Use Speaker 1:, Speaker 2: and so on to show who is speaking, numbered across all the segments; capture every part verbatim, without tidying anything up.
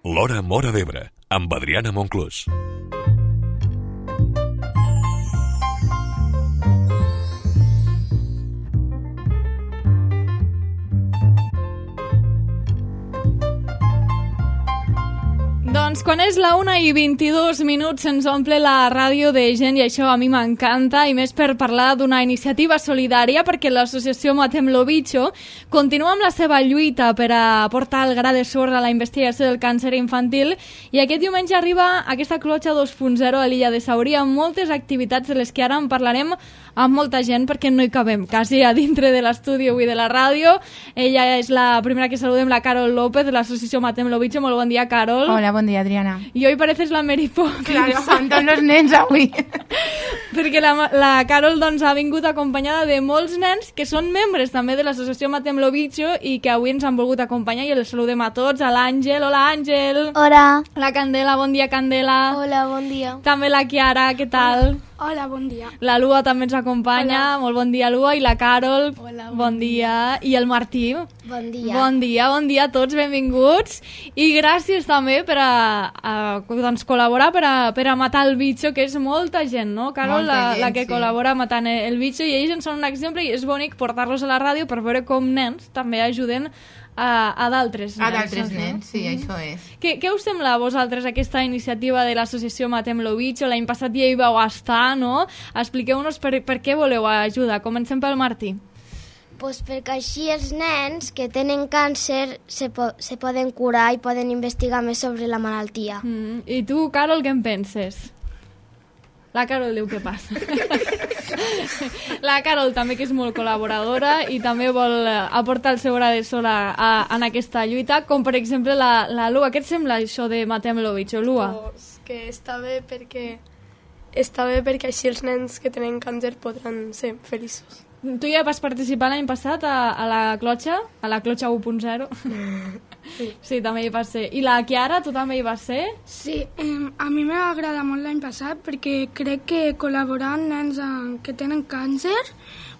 Speaker 1: L'Hora Móra d'Ebre, amb Adriana Monclús.
Speaker 2: Doncs quan és la una i vint-i-dos minuts se'ns omple la ràdio de gent i això a mi m'encanta, i més per parlar d'una iniciativa solidària, perquè l'associació Matem lo Bicho continua amb la seva lluita per a portar el gra de sorra a la investigació del càncer infantil, i aquest diumenge arriba aquesta clotxa dos punt zero a l'illa de Saurí amb moltes activitats de les que ara en parlarem amb molta gent perquè no hi cabem quasi a dintre de l'estudi avui de la ràdio. Ella és la primera que saludem, la Carol López de l'associació Matem lo Bicho. Molt bon dia, Carol.
Speaker 3: Hola, bon dia, Adriana.
Speaker 2: I hoy pareces la Mary Poppins.
Speaker 3: Claro, amb tots els nens avui.
Speaker 2: Perquè la, la Carol doncs, ha vingut acompanyada de molts nens que són membres també de l'associació Matem lo Bicho i que avui ens han volgut acompanyar, i els saludem a tots. A l'Àngel. Hola, Àngel.
Speaker 4: Hola.
Speaker 2: La Candela. Bon dia, Candela.
Speaker 4: Hola, bon dia.
Speaker 2: També la Chiara. Què tal?
Speaker 4: Hola, bon dia.
Speaker 2: La Lua també ens acompanya. Hola. Molt bon dia, Lua. I la Carol.
Speaker 4: Hola,
Speaker 2: bon, bon dia. dia. I el Martí.
Speaker 4: Bon dia.
Speaker 2: Bon dia, bon dia a tots, benvinguts. I gràcies també per a, a doncs, col·laborar per a, per a matar el bitxo, que és molta gent, no, Carol?
Speaker 3: Molta
Speaker 2: la,
Speaker 3: gent,
Speaker 2: la que
Speaker 3: sí.
Speaker 2: col·labora matant el bitxo, i ells en són un exemple, i és bonic portar-los a la ràdio per veure com nens també ajuden a, a d'altres nens.
Speaker 3: A d'altres
Speaker 2: no?
Speaker 3: nens, sí,
Speaker 2: Mm-hmm.
Speaker 3: això és.
Speaker 2: Què, què us sembla a vosaltres aquesta iniciativa de l'associació Matem lo Bicho? L'any passat ja hi vau estar, no? Expliqueu-nos per, per què voleu ajudar. Comencem pel Martí.
Speaker 4: Pues perquè així els nens que tenen càncer se, po se poden curar i poden investigar més sobre la malaltia.
Speaker 2: Mm. I tu, Carol, què en penses? La Carol diu què passa. La Carol també, que és molt col·laboradora i també vol aportar el seu gra de sorra a, en aquesta lluita, com per exemple la, la Lua. Què et sembla això de Matem lo Bicho, Lua?
Speaker 5: Pues que està bé perquè està bé perquè així els nens que tenen càncer podran ser feliços.
Speaker 2: Tu ja vas participar l'any passat a, a la clotxa, a la clotxa u punt zero. Sí. Sí, també hi vas ser. I la Chiara, tu també hi vas ser?
Speaker 6: Sí, eh, a mi m'ha agradat molt l'any passat perquè crec que col·laborar amb nens en, que tenen càncer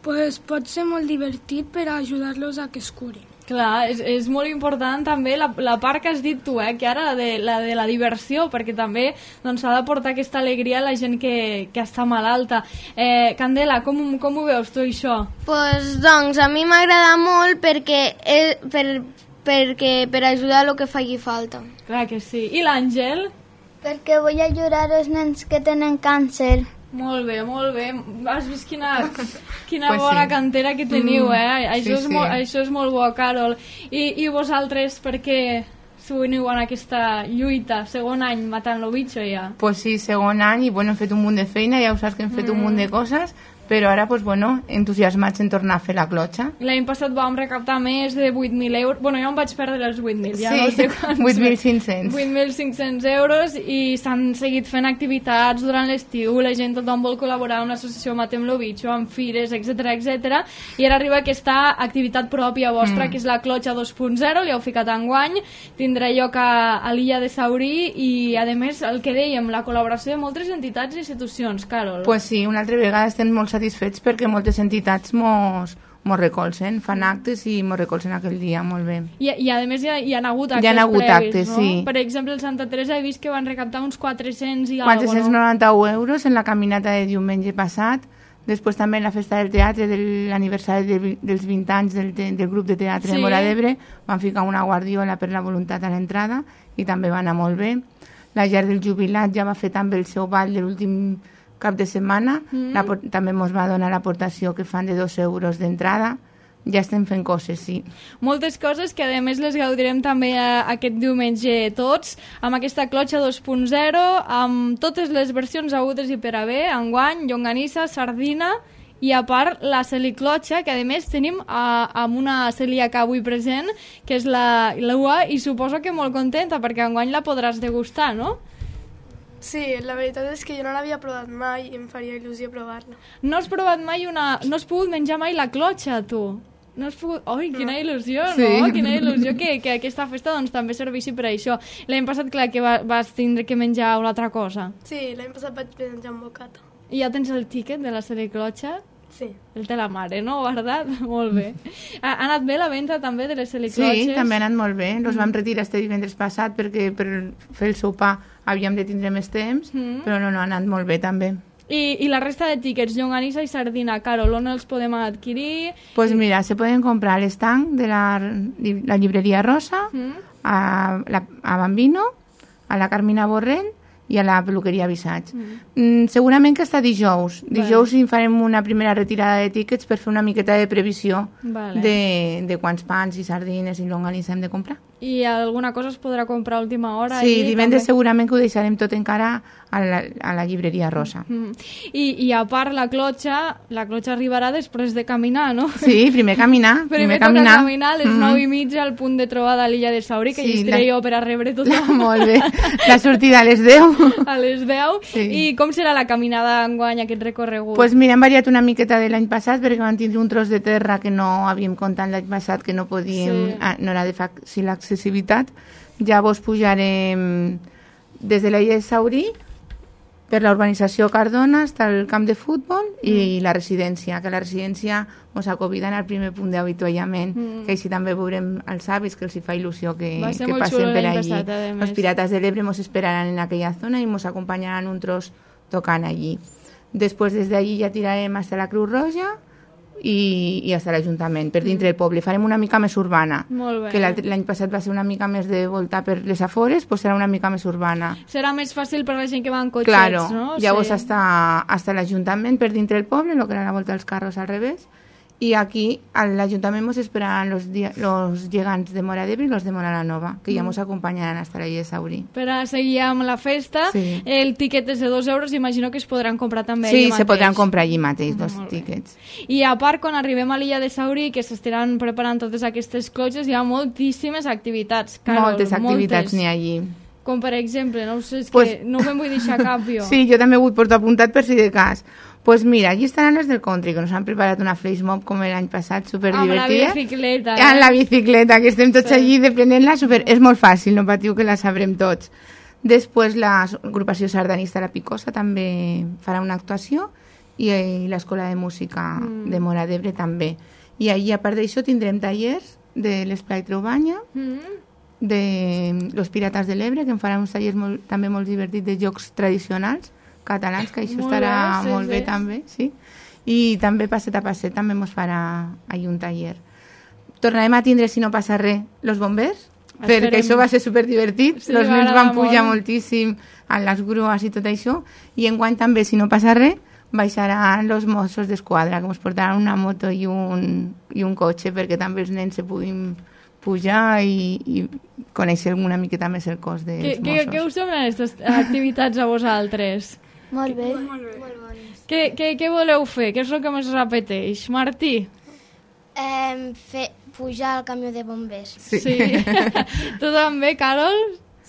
Speaker 6: pues, pot ser molt divertit per ajudar-los a que es curin.
Speaker 2: Clar, és, és molt important també la, la part que has dit tu, eh, que ara la de la, de la diversió, perquè també doncs, s'ha de portar aquesta alegria a la gent que, que està malalta. Eh, Candela, com, com ho veus tu, això?
Speaker 4: Pues, doncs, a mi m'agrada molt perquè, eh, per, perquè per ajudar el que faci falta.
Speaker 2: Clar que sí. I l'Àngel?
Speaker 7: Perquè vull ajudar els nens que tenen càncer.
Speaker 2: Molt bé, molt bé. Has vist quina, quina
Speaker 3: pues
Speaker 2: bona
Speaker 3: sí.
Speaker 2: cantera que teniu, eh?
Speaker 3: Mm,
Speaker 2: això,
Speaker 3: sí,
Speaker 2: és
Speaker 3: sí.
Speaker 2: molt, això és molt bo, Carol. I, i vosaltres, per què s'uniu en aquesta lluita? Segon any matant lo bitxo, ja.
Speaker 3: Pues sí, segon any, i bueno, hem fet un munt de feina, ja ho saps que hem fet mm. un munt de coses, però ara, pues, bueno, entusiasmats en tornar a fer la clotxa.
Speaker 2: L'any passat vam recaptar més de vuit mil euros. Bueno, jo em vaig perdre els vuit mil, ja
Speaker 3: sí,
Speaker 2: no sé quants.
Speaker 3: vuit mil cinc-cents.
Speaker 2: vuit mil cinc-cents euros, i s'han seguit fent activitats durant l'estiu. La gent, tothom vol col·laborar amb l'associació Matem lo Bicho, amb fires, etcètera, etcètera. I ara arriba aquesta activitat pròpia vostra, mm. que és la clotxa dos punt zero, li heu ficat enguany, tindrà lloc a, a l'illa de Saurí, i a més, el que dèiem, la col·laboració de moltes entitats i institucions, Carol.
Speaker 3: Pues sí, una altra vegada estem molt satisfets perquè moltes entitats mos, mos recolzen, fan actes i mos recolzen aquell dia, molt bé.
Speaker 2: I, i a més hi, ha, hi ha hagut actes
Speaker 3: hi ha hagut
Speaker 2: previs,
Speaker 3: actes,
Speaker 2: no?
Speaker 3: sí.
Speaker 2: Per exemple, el Santa Teresa he vist que van recaptar uns quatre-cents i
Speaker 3: quatre-cents noranta-u
Speaker 2: no?
Speaker 3: euros en la caminata de diumenge passat. Després també en la festa del teatre de l'aniversari de, dels vint anys del, te, del grup de teatre sí. de Móra d'Ebre van ficar una guardiola per la voluntat a l'entrada i també va anar molt bé. La llar del jubilat ja va fer també el seu ball de l'últim cap de setmana, mm. la, també ens va donar l'aportació que fan de dos euros d'entrada. Ja estem fent coses, sí.
Speaker 2: Moltes coses que a més les gaudirem també a, aquest diumenge tots, amb aquesta clotxa dos punt zero, amb totes les versions hagudes i per haver, enguany, llonganissa, sardina, i a part la celiclotxa, que a més tenim a, amb una celíaca avui present, que és la Lua, i suposo que molt contenta, perquè enguany la podràs degustar, no?
Speaker 5: Sí, la veritat és que jo no l'havia provat mai i em faria il·lusió provar-la.
Speaker 2: No has provat mai una... No has pogut menjar mai la clotxa, tu? No has pogut... Oi, quina il·lusió, no?
Speaker 3: Sí.
Speaker 2: Quina il·lusió que, que aquesta festa doncs, també serveixi per a això. L'any passat, clar, que va, vas tindre que menjar una altra cosa.
Speaker 5: Sí, l'any passat vaig menjar un bocata.
Speaker 2: I ja tens el tíquet de la celiclotxa?
Speaker 5: Sí.
Speaker 2: El té la mare, no? Guardat? Molt bé. Ha, ha anat bé la venda també de les heliclotxes?
Speaker 3: Sí, també ha anat molt bé. Los mm. vam retirar este divendres passat perquè per fer el sopar havíem de tindre més temps, mm. però no, no, ha anat molt bé també.
Speaker 2: I, i la resta de tíquets, llonganissa i sardina, Carol, on els podem adquirir?
Speaker 3: Doncs pues mira, se poden comprar a l'estanc de la, la llibreria Rosa, mm. a, la, a Bambino, a la Carmina Borrell i a la peluqueria Visage. Mm. Mm, segurament que està dijous. Dijous vale. farem una primera retirada de tíquets per fer una miqueta de previsió vale. de, de quants pans i sardines i llonganissa hem de comprar.
Speaker 2: I alguna cosa es podrà comprar a última hora?
Speaker 3: Sí, divendres també... segurament que ho deixarem tot encara a la, a la llibreria Rosa.
Speaker 2: Mm. I, I a part la clotxa, la clotxa arribarà després de caminar, no?
Speaker 3: Sí, primer caminar.
Speaker 2: primer, primer caminar. caminar a les mm. nou i mitja al punt de trobada a l'illa de Saurí, que sí, hi estaré la... jo per a rebre tothom.
Speaker 3: Molt bé. La sortida a les deu.
Speaker 2: A les deu. Sí. I com serà la caminada enguany, aquest recorregut?
Speaker 3: Pues mira, hem variat una miqueta de l'any passat perquè vam tindre un tros de terra que no havíem comptat l'any passat, que no podíem, sí. ah, no era de fàcil accessibilitat. Llavors pujarem des de l'illa de Saurí per la urbanització Cardona fins al camp de futbol i mm. la residència, que la residència ens acobiden al primer punt d'avituallament, mm. que així també veurem els avis, que els hi fa il·lusió que, que passen per allí.
Speaker 2: Passat,
Speaker 3: els Pirates de l'Ebre ens esperaran en aquella zona i ens acompanyaran un tros tocant allí. Després des d'allí ja tirarem fins a la Creu Roja i, i fins a l'Ajuntament, per dintre del poble. Farem una mica més urbana, que l'any passat va ser una mica més de voltar per les afores, doncs serà una mica més urbana.
Speaker 2: Serà més fàcil per la gent que va en cotxets,
Speaker 3: claro.
Speaker 2: no?
Speaker 3: Llavors
Speaker 2: sí.
Speaker 3: hasta, hasta l'Ajuntament per dintre del poble, el que era la volta dels carros al revés, i aquí a l'Ajuntament ens esperaran los, los gegants de Móra d'Ebre i los de Móra la Nova, que ja ens acompanyaran fins a la Illa de Saurí.
Speaker 2: Per a seguir amb la festa, sí. el tiquet és de dos euros, imagino que es podran comprar també
Speaker 3: sí,
Speaker 2: allí mateix.
Speaker 3: Sí, se podran comprar allí mateix, dos tiquets.
Speaker 2: I a part, quan arribem a l'Illa de Saurí, que s'estaran preparant totes aquestes clotxes, hi ha moltíssimes activitats, Carol.
Speaker 3: Moltes activitats n'hi ha allí.
Speaker 2: Com per exemple, no ho sé, és
Speaker 3: pues...
Speaker 2: que no me'n vull deixar cap jo.
Speaker 3: Sí, jo també vull portar apuntat per si de cas. Pues mira, allí estaran les del country, que nos han preparat una flash mob com l'any passat, superdivertida.
Speaker 2: Amb la bicicleta.
Speaker 3: Eh? Amb la bicicleta, que estem tots sí. allí deprenent-la, super... és molt fàcil, no patiu que la sabrem tots. Després l'agrupació sardanista La Picosa també farà una actuació i, i l'Escola de Música mm. de Móra d'Ebre també. I allí, a part d'això, tindrem tallers de l'Esplai Trobanya, mm. de los Pirates de l'Ebre, que en faran uns tallers molt, també molt divertits de jocs tradicionals catalans, que això molt estarà bé, sí, molt bé sí. també, sí. I també passet a passet també ens farà ahir un taller. Tornarem a tindre, si no passa res, los bombers, Esperem. perquè això va ser superdivertit, sí, els nens van pujar molt. moltíssim a les grues i tot això, i enguany també, si no passa res, baixaran los Mossos d'Esquadra, que ens portaran una moto i un, i un cotxe, perquè també els nens se puguin pujar i, i conèixer una miqueta més el cos dels
Speaker 2: que,
Speaker 3: Mossos.
Speaker 2: Què us semblen aquestes activitats a vosaltres?
Speaker 7: Molt bé.
Speaker 5: Molt bé. Molt bones.
Speaker 2: Què, què, què voleu fer? Què és el que més repeteix? Martí?
Speaker 4: Eh, fer, pujar al camió de bombers.
Speaker 2: Sí. sí. Tu també, Carol?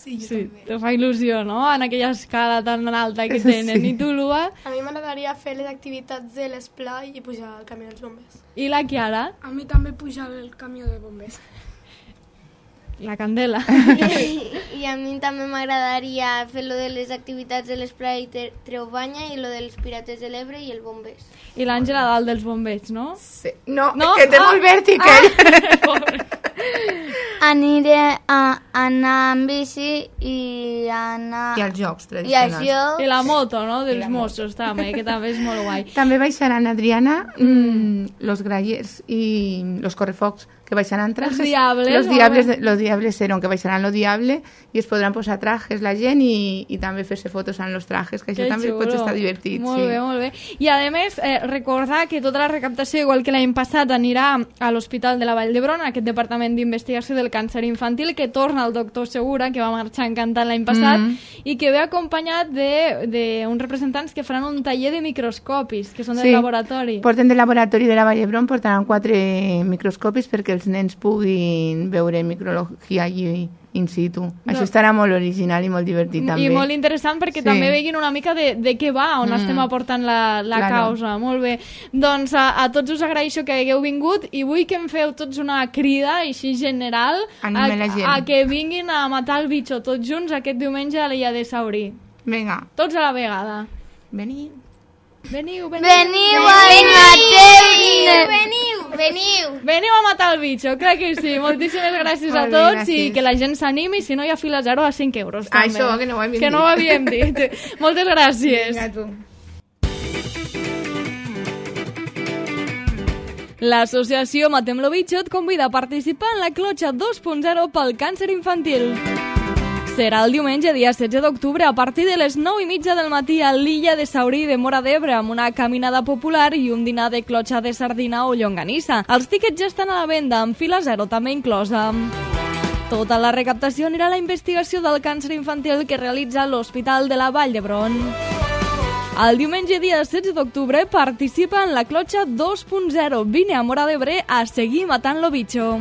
Speaker 5: Sí, jo
Speaker 2: sí,
Speaker 5: també.
Speaker 2: te fa il·lusió, no?, en aquella escala tan alta que tenen. Sí. I tu, Lua?
Speaker 5: A mi m'agradaria fer les activitats de l'esplai i pujar al camió dels bombers.
Speaker 2: I la Chiara?
Speaker 6: A mi també pujar el camió de bombers.
Speaker 2: La candela.
Speaker 7: I, i a mi també m'agradaria fer lo de les activitats de l'Esplai Trobanya i lo dels Pirates de l'Ebre i el bombers.
Speaker 2: I l'Àngela dalt dels bombers, no?
Speaker 3: Sí. No,
Speaker 2: no?
Speaker 3: que té ah, molt vèrtic,
Speaker 2: ah,
Speaker 7: Aniré a anar amb bici i anar...
Speaker 3: I els jocs
Speaker 7: I
Speaker 3: tradicionals.
Speaker 7: això...
Speaker 2: I la moto, no?, dels Mossos, també, que també és molt guai.
Speaker 3: També baixaran, Adriana, mm, los grallers i los correfocs, que baixaran trajes.
Speaker 2: Los diables.
Speaker 3: Los diables, los diables seron, que baixaran lo diable i es podran posar trajes la gent i, i també fer-se fotos en los trajes, que això
Speaker 2: que
Speaker 3: també
Speaker 2: xulo.
Speaker 3: pot estar divertit.
Speaker 2: Molt
Speaker 3: sí.
Speaker 2: bé, molt bé. I a més, eh, recordar que tota la recaptació, igual que l'any passat, anirà a l'Hospital de la Vall d'Hebron, aquest Departament d'Investigació del Càncer Infantil, que torna el doctor Segura, que va marxar encantant l'any passat, mm. i que ve acompanyat d'uns representants que faran un taller de microscopis, que són del
Speaker 3: sí.
Speaker 2: laboratori.
Speaker 3: Porten del laboratori de la Vall d'Hebron, portaran quatre microscopis perquè els nens puguin veure micrologia allí in situ. No. Això estarà molt original i molt divertit també.
Speaker 2: I molt interessant perquè sí. també veguin una mica de, de què va, on mm. estem aportant la, la claro. causa. Molt bé. Doncs a, a tots us agraeixo que hagueu vingut i vull que em feu tots una crida així general a, a que vinguin a matar el bitxo tots junts aquest diumenge a l'illa de Saurí.
Speaker 3: Vinga.
Speaker 2: Tots a la vegada.
Speaker 3: Veniu.
Speaker 2: Veniu, veniu.
Speaker 7: Veniu a matar-me. Veniu, veniu.
Speaker 2: Veniu a matar el bitxo, clar que sí. Moltíssimes gràcies a
Speaker 3: Molt bé,
Speaker 2: tots i
Speaker 3: gràcies.
Speaker 2: que la gent s'animi, si no hi ha fila zero a cinc euros. També.
Speaker 3: Això, que no ho havíem
Speaker 2: que no ho havíem dit. Moltes gràcies.
Speaker 3: Vinga, tu.
Speaker 2: L'associació Matem lo Bitxo et convida a participar en la clotxa dos punt zero pel càncer infantil. Serà el diumenge, dia setze d'octubre, a partir de les nou i mitja del matí a l'illa de Saurí de Móra d'Ebre, amb una caminada popular i un dinar de clotxa de sardina o llonganissa. Els tíquets ja estan a la venda, amb fila zero també inclosa. Tota la recaptació anirà a la investigació del càncer infantil que realitza l'Hospital de la Vall d'Hebron. El diumenge, dia setze d'octubre, participa en la clotxa dos punt zero. Vine a Móra d'Ebre a seguir matant lo bitxo.